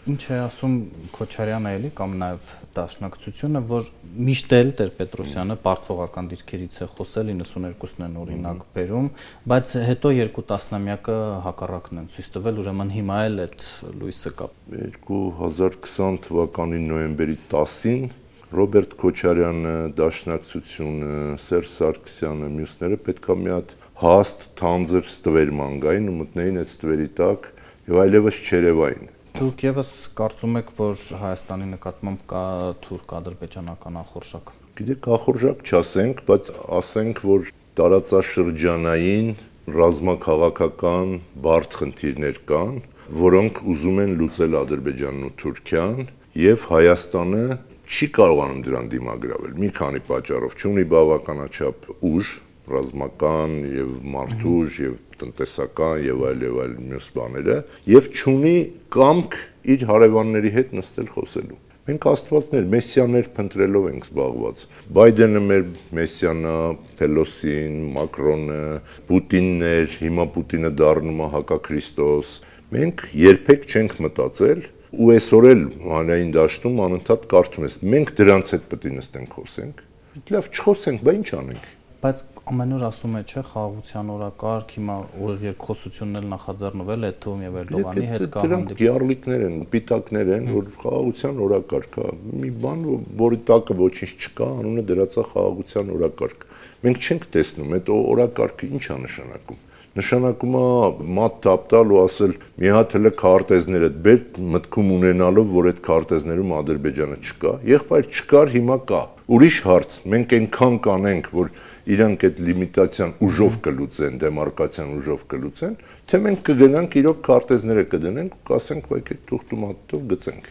Ինչ է ասում Քոչարյանը էլի կամ նաև Դաշնակցությունը, որ միշտ էլ Տեր-Պետրոսյանը պարտվողական դիրքերից է խոսել, 92-ն են օրինակ բերում, բայց հետո 2 տասնամյակը հակառակն են ցույց տվել, ուրեմն հիմա էլ այդ լույսը կա։ 2020 թվականի նոյեմբերի 10-ին Ռոբերտ Քոչարյանը, Դաշնակցությունը, Սերժ Սարգսյանը, մյուսները պետք է մի հատ հաստ թանձր ստվեր մանգային ու մտնեին այդ ստվերի տակ եւ այլևս չերևային։ Դուք եւս կարծում եք, որ Հայաստանի նկատմամբ կա թուրք-ադրբեջանական ախորժակ։ Գիտեք, ախորժակ չասենք, բայց ասենք, որ տարածաշրջանային ռազմաքաղաքական բարդ խնդիրներ կան, որոնք ուզում են լուծել Ադրբեջանն ու Թուրքիան, եւ Հայաստանը չի կարողանում դրան դիմագրավել։ Մի քանի պատճառով չունի բավականաչափ ուժ, ռազմական եւ մարդուժ եւ տնտեսական եւ այլ մյուս բաները, եւ չունի կամք իր հարևանների հետ նստել խոսելու։ Մենք աստվածներ, մեսիաներ փնտրելով ենք զբաղված։ Բայդենը մեր մեսիանա, Փելոսին, Մակրոնը, Պուտիններ, հիմա Պուտինը դառնում է հակաքրիստոս։ Մենք երբեք չենք մտածել ու այսօր էլ հանրային դաշտում անընդհատ կարդում ես։ Մենք դրանց հետ պետք է նստենք խոսենք։ Լավ, չխոսենք, բա ինչ անենք։ Բայց ամեն օր ասում է, չէ, խաղաղության օրակարգ, հիմա ուղիղ երկխոսությունն էլ նախաձեռնվել է Թում եւ Էրդողանի հետ կա հանդիպում։ Գիառլիկներ են, պիտակներ են, որ խաղաղության օրակարգ է։ Մի բան, որի տակը ոչինչ չկա, անունը դրած է խաղաղության օրակարգ։ Մենք չենք տեսնում այդ օրակարգը ինչ է նշանակում։ Նշանակում է մատ տապտալ ու ասել մի հատ հələ քարտեզները բեր մտքում ունենալով, որ այդ քարտեզներում Ադրբեջանը չկա։ Եղբայր չկար, հիմա կա։ Ուրիշ հարց, մենք այնքան կանենք, որ իրանք այդ լիմիտացիան ուժով կլուծեն, դեմարկացիան ուժով կլուծեն, թե մենք կգնանք իրոք քարտեզները կդնենք ու կասենք, բայ թուղթ ու մատով գցենք։